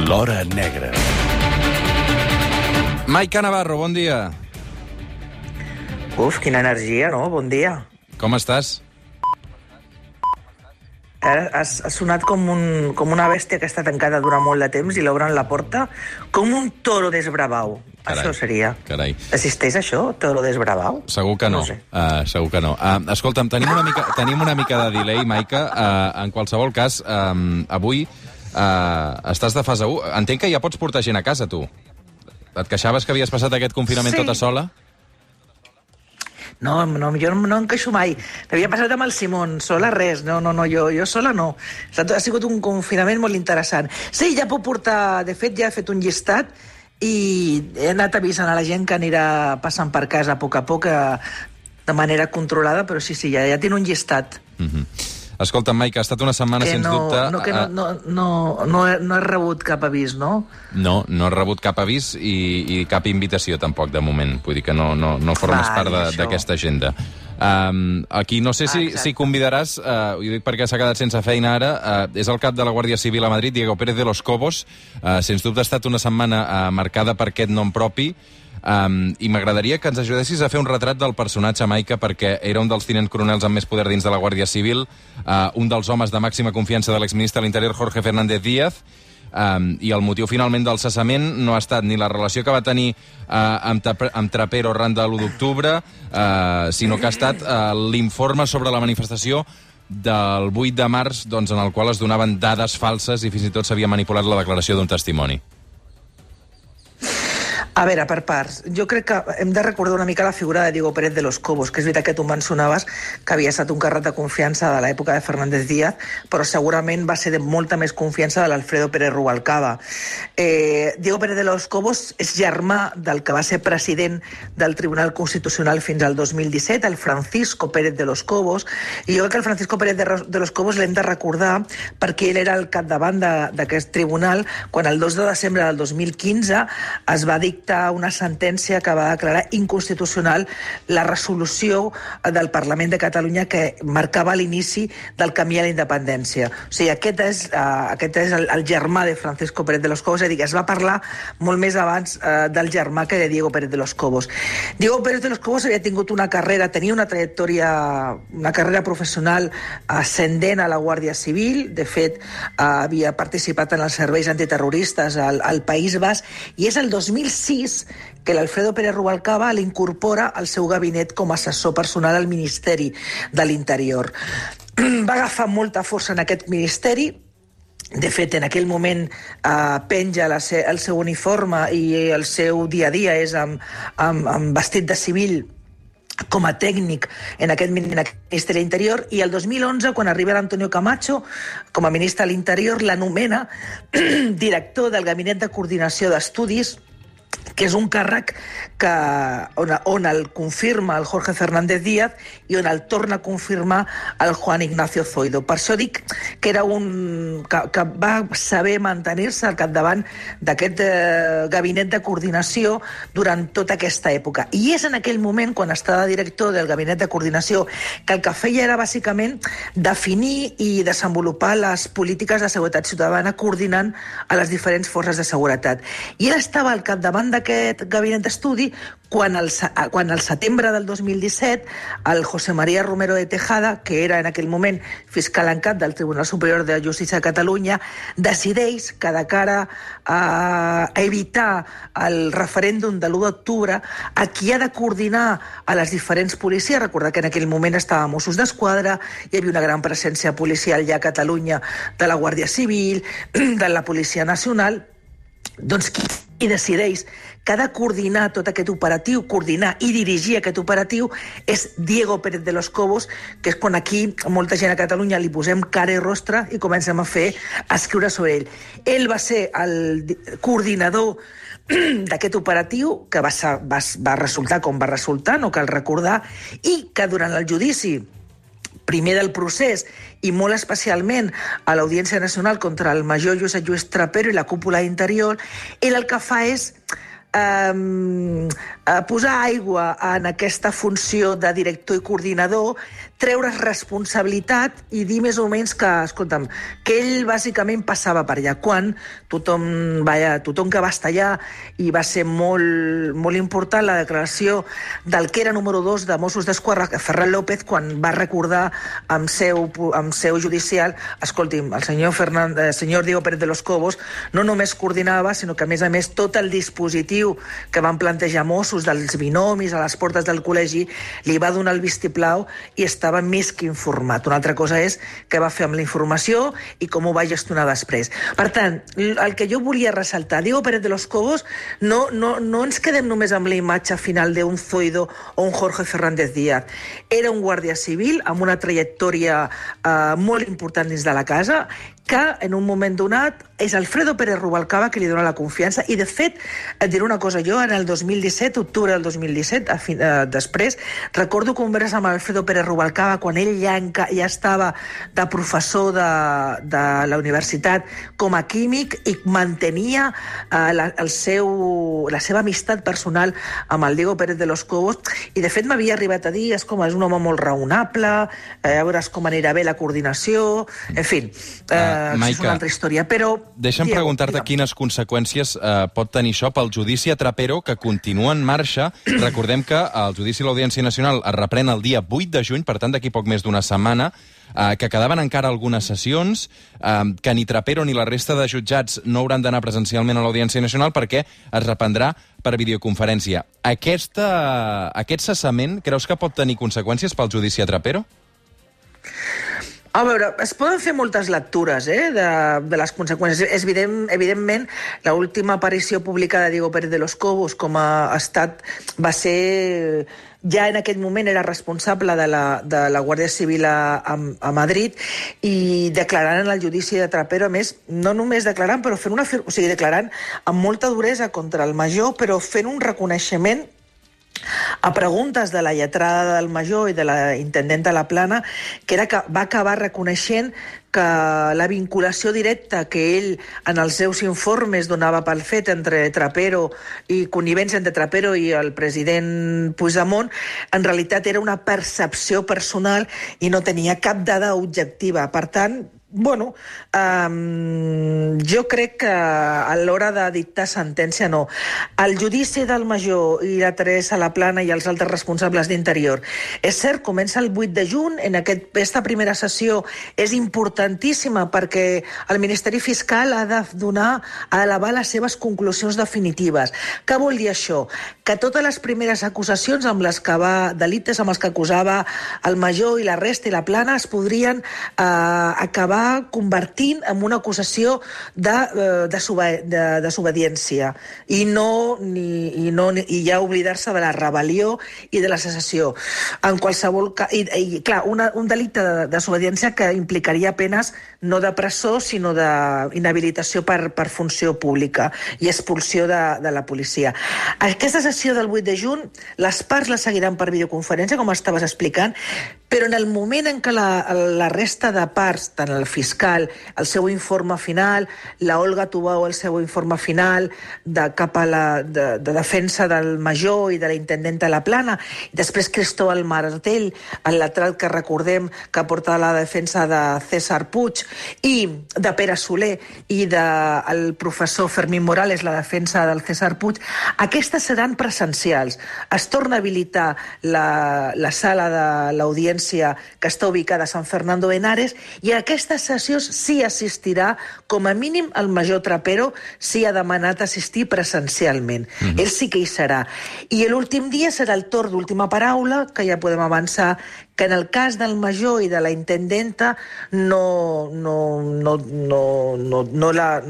L'Hora Negra. Maica Navarro, bon dia. Uf, quina energia, no? Bon dia. Com estàs? Has sonat com una bèstia que està tancada durant molt de temps i l'obren la porta com un toro desbravau. Carai, això seria. carai. Existeix això, toro desbravau? Segur que no. No sé. Segur que no. Escolta'm, tenim una mica de delay, Maica. En qualsevol cas, avui estàs de fase 1. Entenc que ja pots portar gent a casa, tu. Et queixaves que havies passat aquest confinament tota sola? No, jo no em queixo mai. L'havia passat amb el Simón, sola res. No, jo sola no. Ha sigut un confinament molt interessant. Sí, ja puc portar... De fet, ja he fet un llistat i he anat avisant a la gent que anirà passant per casa a poc, de manera controlada, però sí, ja tinc un llistat. Escolta, Maica, ha estat una setmana, sens dubte... No he rebut cap avís, no? No has rebut cap avís i cap invitació, tampoc, de moment. Vull dir que no formes part d'aquesta agenda. Aquí no sé si convidaràs, ho dic perquè s'ha quedat sense feina ara, és el cap de la Guàrdia Civil a Madrid, Diego Pérez de los Cobos. Sens dubte ha estat una setmana marcada per aquest nom propi, i m'agradaria que ens ajudessis a fer un retrat del personatge, Maica, perquè era un dels tinents coronels amb més poder dins de la Guàrdia Civil, un dels homes de màxima confiança de l'exministre de l'Interior, Jorge Fernández Díaz, i el motiu finalment del cessament no ha estat ni la relació que va tenir amb Trapero arran de l'1 d'octubre, sinó que ha estat l'informe sobre la manifestació del 8 de març, doncs, en el qual es donaven dades falses i fins i tot s'havia manipulat la declaració d'un testimoni. A veure, per parts. Jo crec que hem de recordar una mica la figura de Diego Pérez de los Cobos, que és veritat que tu mencionaves que havia estat un càrrec de confiança de l'època de Fernández Díaz, però segurament va ser de molta més confiança de l'Alfredo Pérez Rubalcaba. Diego Pérez de los Cobos és germà del que va ser president del Tribunal Constitucional fins al 2017, el Francisco Pérez de los Cobos, i jo crec que el Francisco Pérez de los Cobos l'hem de recordar perquè ell era el capdavant d'aquest tribunal quan el 2 de desembre del 2015 es va dictar una sentència que va declarar inconstitucional la resolució del Parlament de Catalunya que marcava l'inici del camí a la independència. O sigui, aquest és el germà de Francisco Pérez de los Cobos, és a dir, que es va parlar molt més abans del germà que de Diego Pérez de los Cobos. Diego Pérez de los Cobos havia tingut una carrera, tenia una trajectòria, una carrera professional ascendent a la Guàrdia Civil. De fet, havia participat en els serveis antiterroristes al País Basc, i és el 2006 que l'Alfredo Pérez Rubalcaba l'incorpora al seu gabinet com a assessor personal al Ministeri de l'Interior. Va agafar molta força en aquest ministeri. De fet, en aquell moment penja el seu uniforme i el seu dia a dia és amb vestit de civil com a tècnic en aquest Ministeri de l'Interior, i el 2011, quan arriba l'Antonio Camacho com a ministre de l'Interior, l'anomena director del Gabinet de Coordinació d'Estudis, que és un càrrec on el confirma el Jorge Fernández Díaz i on el torna a confirmar el Juan Ignacio Zoido. Per això dic que era que va saber mantenir-se al capdavant d'aquest gabinet de coordinació durant tota aquesta època. I és en aquell moment, quan està de director del gabinet de coordinació, que el que feia era bàsicament definir i desenvolupar les polítiques de seguretat ciutadana coordinant a les diferents forces de seguretat. I ell estava al capdavant d'aquest gabinet d'estudi quan al setembre del 2017 el José María Romero de Tejada, que era en aquell moment fiscal en cap del Tribunal Superior de Justícia de Catalunya, decideix que de cara a evitar el referèndum de l'1 d'octubre, a qui ha de coordinar a les diferents policies, recordar que en aquell moment estava Mossos d'Esquadra, hi havia una gran presència policial ja a Catalunya de la Guàrdia Civil, de la Policia Nacional, doncs qui decideix que ha de coordinar tot aquest operatiu, coordinar i dirigir aquest operatiu, és Diego Pérez de los Cobos, que és quan aquí molta gent a Catalunya li posem cara i rostre i comencem a escriure sobre ell. Ell va ser el coordinador d'aquest operatiu, que va resultar com va resultar, no cal recordar, i que durant el judici primer del procés i molt especialment a l'Audiència Nacional contra el major Josep Lluís Trapero i la cúpula interior, ell el que fa és posar aigua en aquesta funció de director i coordinador, treure's responsabilitat i dir més o menys que, escolta'm, que ell bàsicament passava per allà. Quan tothom que va estar allà, i va ser molt, molt important la declaració del que era número 2 de Mossos d'Esquadra, Ferran López, quan va recordar amb seu judicial, escolti'm, el senyor Diego Pérez de los Cobos no només coordinava, sinó que a més tot el dispositiu que van plantejar Mossos dels binomis a les portes del col·legi li va donar el vistiplau i estava més que informat. Una altra cosa és què va fer amb la informació i com ho va gestionar després. Per tant, el que jo volia ressaltar, Diego Pérez de los Cobos, no ens quedem només amb la imatge final d'un Zoido o un Jorge Fernández Díaz. Era un guàrdia civil amb una trajectòria molt important dins de la casa, que en un moment donat és Alfredo Pérez Rubalcaba que li dona la confiança, i de fet, et diré una cosa, jo en el 2017, octubre del 2017, després, recordo converses amb Alfredo Pérez Rubalcaba quan ell ja estava de professor de la universitat com a químic i mantenia la seva amistat personal amb el Diego Pérez de los Cobos, i de fet m'havia arribat a dir, és un home molt raonable, a veure com anirà bé la coordinació, en fi, és una altra història, però... Deixa'm preguntar-te quines conseqüències pot tenir això pel judici a Trapero, que continua en marxa. Recordem que el judici a l'Audiència Nacional es reprèn el dia 8 de juny, per tant, d'aquí poc més d'una setmana, que quedaven encara algunes sessions, que ni Trapero ni la resta de jutjats no hauran d'anar presencialment a l'Audiència Nacional perquè es reprendrà per videoconferència. Aquest cessament creus que pot tenir conseqüències pel judici a Trapero? A veure, es poden fer moltes lectures de les conseqüències. Evidentment, l'última aparició pública de Diego Pérez de los Cobos com a estat va ser... Ja en aquell moment era responsable de la Guàrdia Civil a Madrid, i declarant en el judici de Trapero, a més, no només declarant, però declarant amb molta duresa contra el major, però fent un reconeixement a preguntes de la lletrada del major i de la intendenta La Plana, que era que va acabar reconeixent que la vinculació directa que ell en els seus informes donava pel fet entre Trapero i connivència entre Trapero i el president Puigdemont, en realitat era una percepció personal i no tenia cap dada objectiva. Per tant, jo crec que a l'hora de dictar sentència no. El judici del major i la Teresa La Plana i els altres responsables d'Interior, és cert, comença el 8 de juny, en aquesta primera sessió és importantíssima perquè el Ministeri Fiscal ha d'elevar les seves conclusions definitives. Què vol dir això? Que totes les primeres acusacions delictes amb els que acusava el major i la resta i La Plana es podrien acabar convertint en una acusació de desobediència i ja oblidar-se de la rebel·lió i de la secessió. En qualsevol cas, clar, un delicte de desobediència que implicaria penes no de presó, sinó d'inhabilitació per funció pública i expulsió de la policia. Aquesta sessió del 8 de juny, les parts la seguiran per videoconferència, com estaves explicant, però en el moment en què la resta de parts, tant el fiscal, el seu informe final, la Olga Tubau, el seu informe final cap a de defensa del major i de la intendenta La Plana, i després Cristóbal Martel, el letrat que recordem que porta la defensa de César Puig i de Pere Soler i del professor Fermín Morales, la defensa del César Puig, aquestes seran presencials. Es torna a habilitar la sala de l'audiència que està ubicada a San Fernando de Henares, i a aquestes sessions sí assistirà, com a mínim el major Trapero sí ha demanat assistir presencialment. Ell sí que hi serà. I l'últim dia serà el torn d'última paraula, que ja podem avançar que en el cas del major i de la intendenta no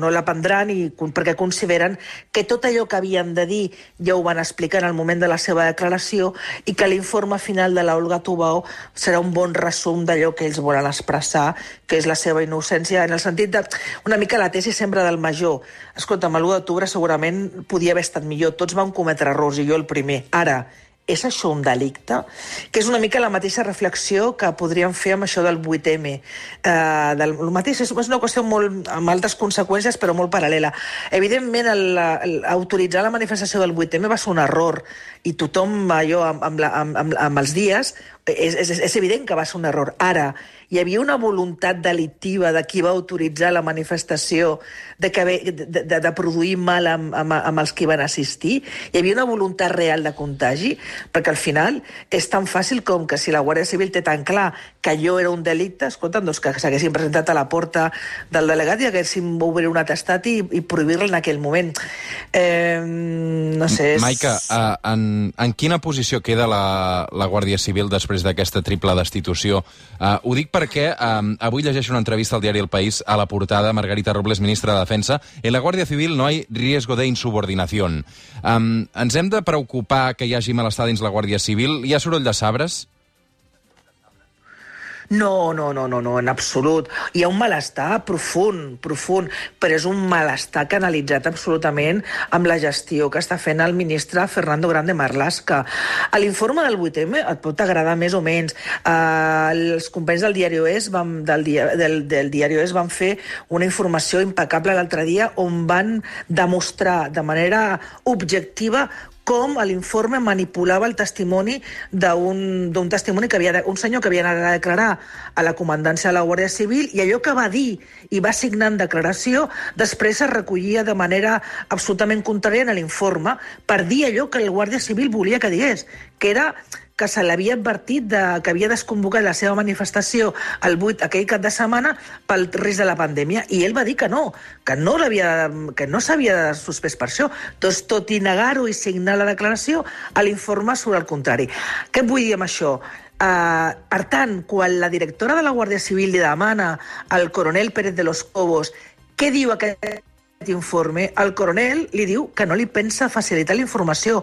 la prendran, perquè consideren que tot allò que havien de dir ja ho van explicar en el moment de la seva declaració, i que l'informe final de l'Olga Tubau serà un bon resum d'allò que ells volen expressar, que és la seva innocència, en el sentit de una mica la tesi sempre del major. Escolta'm, l'1 d'octubre segurament podia haver estat millor, tots vam cometre errors i jo el primer. Ara, és això un delicte? Que és una mica la mateixa reflexió que podríem fer amb això del 8M. El mateix és una qüestió amb altres conseqüències, però molt paral·lela. Evidentment, autoritzar la manifestació del 8M va ser un error, i tothom, allò, amb els dies, és evident que va ser un error. Ara, hi havia una voluntat delictiva de qui va autoritzar la manifestació de produir mal amb els que van assistir? Hi havia una voluntat real de contagi? Perquè al final és tan fàcil com que si la Guàrdia Civil té tan clar que allò era un delicte, escolta'm, doncs que s'haguessin presentat a la porta del delegat i haguessin obrir un atestat i prohibir-la en aquell moment. No sé... Maica, en quina posició queda la Guàrdia Civil després d'aquesta triple destitució? Ho dic perquè avui llegeixo una entrevista al diari El País, a la portada, Margarita Robles, ministra de Defensa. En la Guàrdia Civil no hay riesgo de insubordinación. Ens hem de preocupar que hi hagi malestar dins la Guàrdia Civil? Hi ha soroll de sabres? No, en absolut. Hi ha un malestar profund, però és un malestar canalitzat absolutament amb la gestió que està fent el ministre Fernando Grande Marlaska. A l'informe del 8M et pot agradar més o menys. Els companys del Diario Es del Diario Es van fer una informació impecable l'altre dia on van demostrar de manera objectiva com l'informe manipulava el testimoni d'un testimoni un senyor que havia anat a declarar a la comandància de la Guàrdia Civil, i allò que va dir i va signar en declaració després es recollia de manera absolutament contrària en l'informe per dir allò que el Guàrdia Civil volia que digués, que era que se l'havia advertit que havia desconvocat la seva manifestació el 8 aquell cap de setmana pel risc de la pandèmia, i ell va dir que no s'havia suspès per això. Doncs, tot i negar-ho i signar la declaració, a l'informe surt el contrari. Què vull dir amb això? Per tant, quan la directora de la Guàrdia Civil li demana al coronel Pérez de los Cobos què diu aquest informe, el coronel li diu que no li pensa facilitar la informació.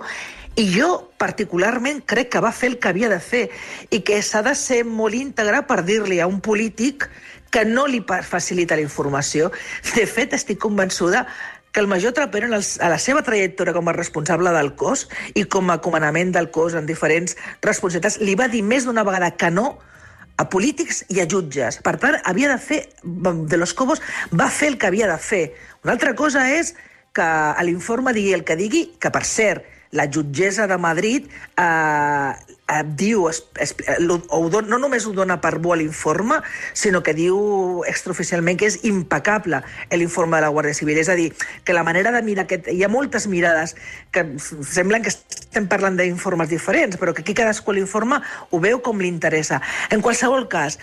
I jo, particularment, crec que va fer el que havia de fer i que s'ha de ser molt íntegre per dir-li a un polític que no li facilita la informació. De fet, estic convençuda que el major Trapero, a la seva trajectòria com a responsable del cos i com a comandament del cos en diferents responsabilitats, li va dir més d'una vegada que no a polítics i a jutges. Per tant, havia de fer, de los Cobos va fer el que havia de fer. Una altra cosa és que a l'informe digui el que digui, que per cert, la jutgessa de Madrid diu, no només ho dona per bo a l'informe, sinó que diu extraoficialment que és impecable l'informe de la Guàrdia Civil. És a dir, que la manera de mirar... Hi ha moltes mirades que semblen que estem parlant d'informes diferents, però que aquí cadascú l'informe ho veu com li interessa. En qualsevol cas,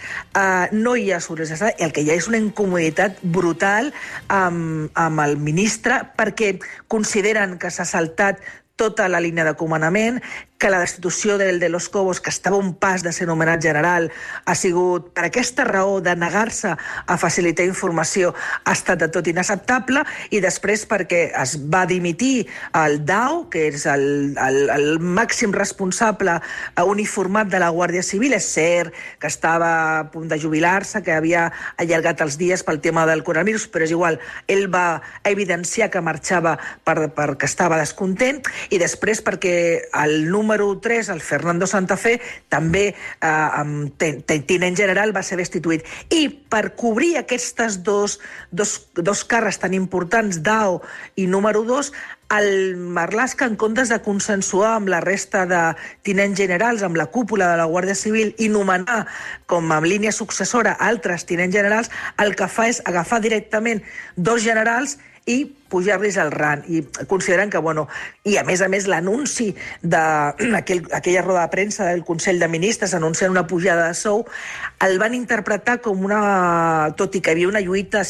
no hi ha sorpresa. El que hi ha és una incomoditat brutal amb el ministre perquè consideren que s'ha saltat tota la línia de comandament, que la destitució del de los Cobos, que estava a un pas de ser nomenat general, ha sigut per aquesta raó de negar-se a facilitar informació, ha estat de tot inacceptable, i després perquè es va dimitir el DAO, que és el màxim responsable uniformat de la Guàrdia Civil. És cert que estava a punt de jubilar-se, que havia allargat els dies pel tema del coronavirus, però és igual, ell va evidenciar que marxava perquè estava descontent, i després perquè el número 3, el Fernando Santa Fe, també tinent general, va ser destituït. I per cobrir aquestes dos càrrecs tan importants, DAO i número 2, el Marlaska, en comptes de consensuar amb la resta de tinents generals, amb la cúpula de la Guàrdia Civil, i nomenar com a línia successora altres tinents generals, el que fa és agafar directament 2 generals i pujar-los al rang. I consideren que, i a més l'anunci d'aquella roda de premsa del Consell de Ministres anunciant una pujada de sou, el van interpretar com tot i que hi havia una lluita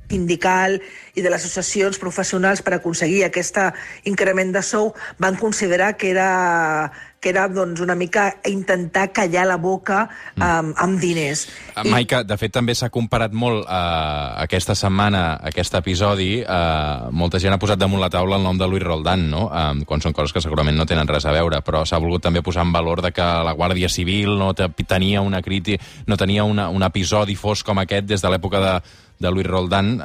sindical i de les associacions professionals per aconseguir aquest increment de sou, van considerar que era una mica intentar callar la boca amb diners. Maica, de fet, també s'ha comparat molt aquesta setmana, aquest episodi, molta gent ha posat damunt la taula el nom de Luis Roldán, no? Quan són coses que segurament no tenen res a veure, però s'ha volgut també posar en valor de que la Guàrdia Civil no tenia un episodi fosc com aquest des de l'època de Luis Roldán,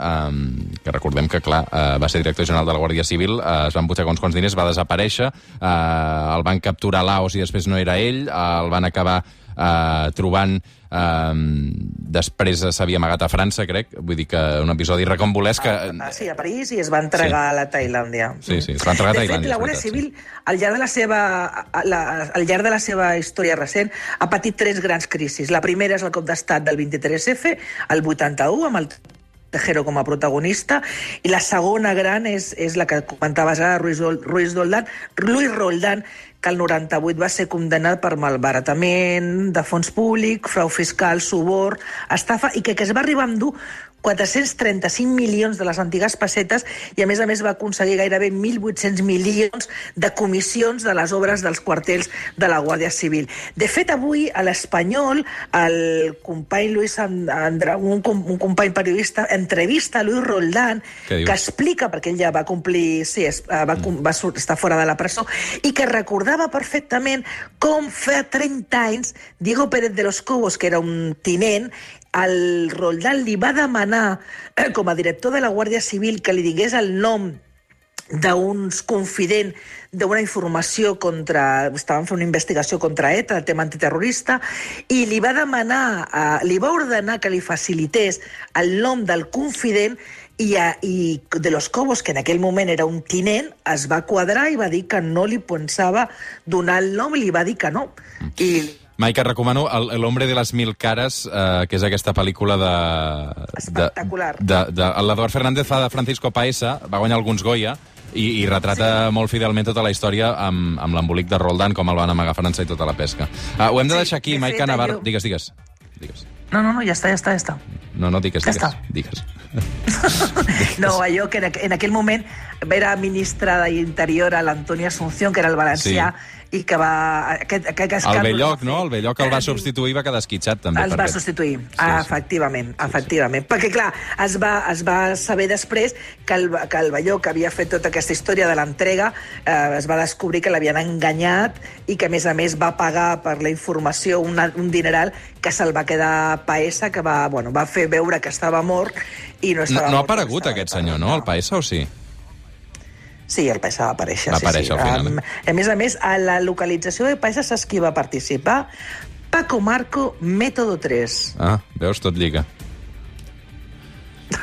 que recordem que, clar, va ser director general de la Guàrdia Civil, es van butxacar uns quants diners, va desaparèixer, el van capturar a Laos i després no era ell, el van acabar trobant... Després s'havia amagat a França, crec. Vull dir que un episodi recambolesc que... Sí, a París, i es va entregar a la Tailàndia. Sí, es va entregar a Tailàndia. De fet, la Guàrdia Civil, al llarg de la seva història recent, ha patit 3 grans crisis. La primera és el cop d'estat del 23F, el 81, amb el Tejero com a protagonista, i la segona gran és la que comentaves ara, Luis Roldán, que el 98 va ser condemnat per malbaratament de fons públic, frau fiscal, suborn, estafa, i que es va arribar a endur 435 milions de les antigues pessetes i, a més, va aconseguir gairebé 1.800 milions de comissions de les obres dels quartels de la Guàrdia Civil. De fet, avui, a l'Espanyol, el company Luis Andra, un company periodista, entrevista a Luis Roldán, que explica, perquè ell ja va complir... Sí, va estar fora de la presó, i que recordava perfectament com fa 30 anys Diego Pérez de los Cobos, que era un tinent, el Roldán li va demanar, com a director de la Guàrdia Civil, que li digués el nom d'uns confidents d'una informació contra... Estaven fent una investigació contra ETA, el tema antiterrorista, i li va demanar, li va ordenar que li facilités el nom del confident, i de los Cobos, que en aquell moment era un tinent, es va quadrar i va dir que no li pensava donar el nom, i li va dir que no. Maica, et recomano El hombre de las mil cares, que és aquesta pel·lícula espectacular. L'Eduard Fernández fa de Francisco Paesa, va guanyar alguns Goya, i retrata molt fidelment tota la història amb l'embolic de Roldán, com el van amagar a França i tota la pesca. Ho hem de deixar aquí, Maica Navarro. Digues. No, ja està. No, digues. No, allò que en aquell moment era ministre d'Interior a l'Antoni Asunción, que era el valencià, i que va... El Belloc, no? El Belloc el va substituir i va quedar esquitxat, també. El va substituir, efectivament. Perquè, clar, es va saber després que el Belloc havia fet tota aquesta història de l'entrega, es va descobrir que l'havien enganyat i que, a més, va pagar per la informació un dineral que se'l va quedar Paesa, que va fer veure que estava mort i no estava mort. No ha aparegut aquest senyor, no? El Paesa, o sí? Sí, el Paesa va aparèixer. Va aparèixer al final. A més, a la localització de Paesa saps qui va participar? Paco Marco, Método 3. Ah, veus, tot lliga.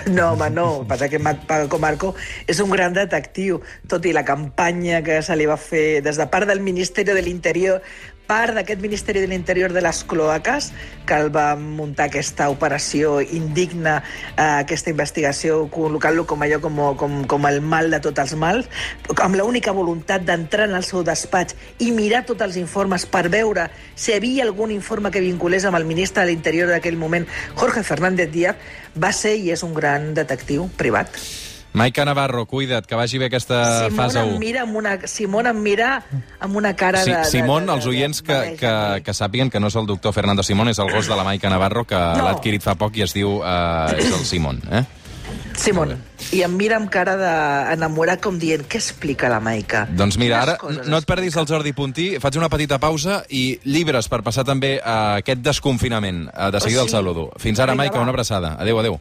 No, home, no. Passa que Paco Marco és un gran detectiu, tot i la campanya que se li va fer des de part del Ministeri de l'Interior, part d'aquest Ministeri de l'Interior de les cloaques, que el va muntar aquesta operació indigna, aquesta investigació, col·locant-lo com el mal de tots els mals, amb l'única voluntat d'entrar en el seu despatx i mirar tots els informes per veure si hi havia algun informe que vinculés amb el ministre de l'Interior d'aquell moment, Jorge Fernández Díaz. Va ser i és un gran detectiu privat. Maica Navarro, cuida't, que vagi bé aquesta fase 1. Simón em mira amb una cara de... Simón, els oients que sàpiguen que no és el doctor Fernando Simón, és el gos de la Maica Navarro, que l'ha adquirit fa poc i es diu... és el Simón, Simón. I em mira amb cara d'enamorat, com dient, què explica la Maica? Doncs mira, ara no et perdis el Jordi Puntí, faig una petita pausa i llibres per passar també aquest desconfinament. De seguida el saludo. Fins ara, Maica, una abraçada. Adéu.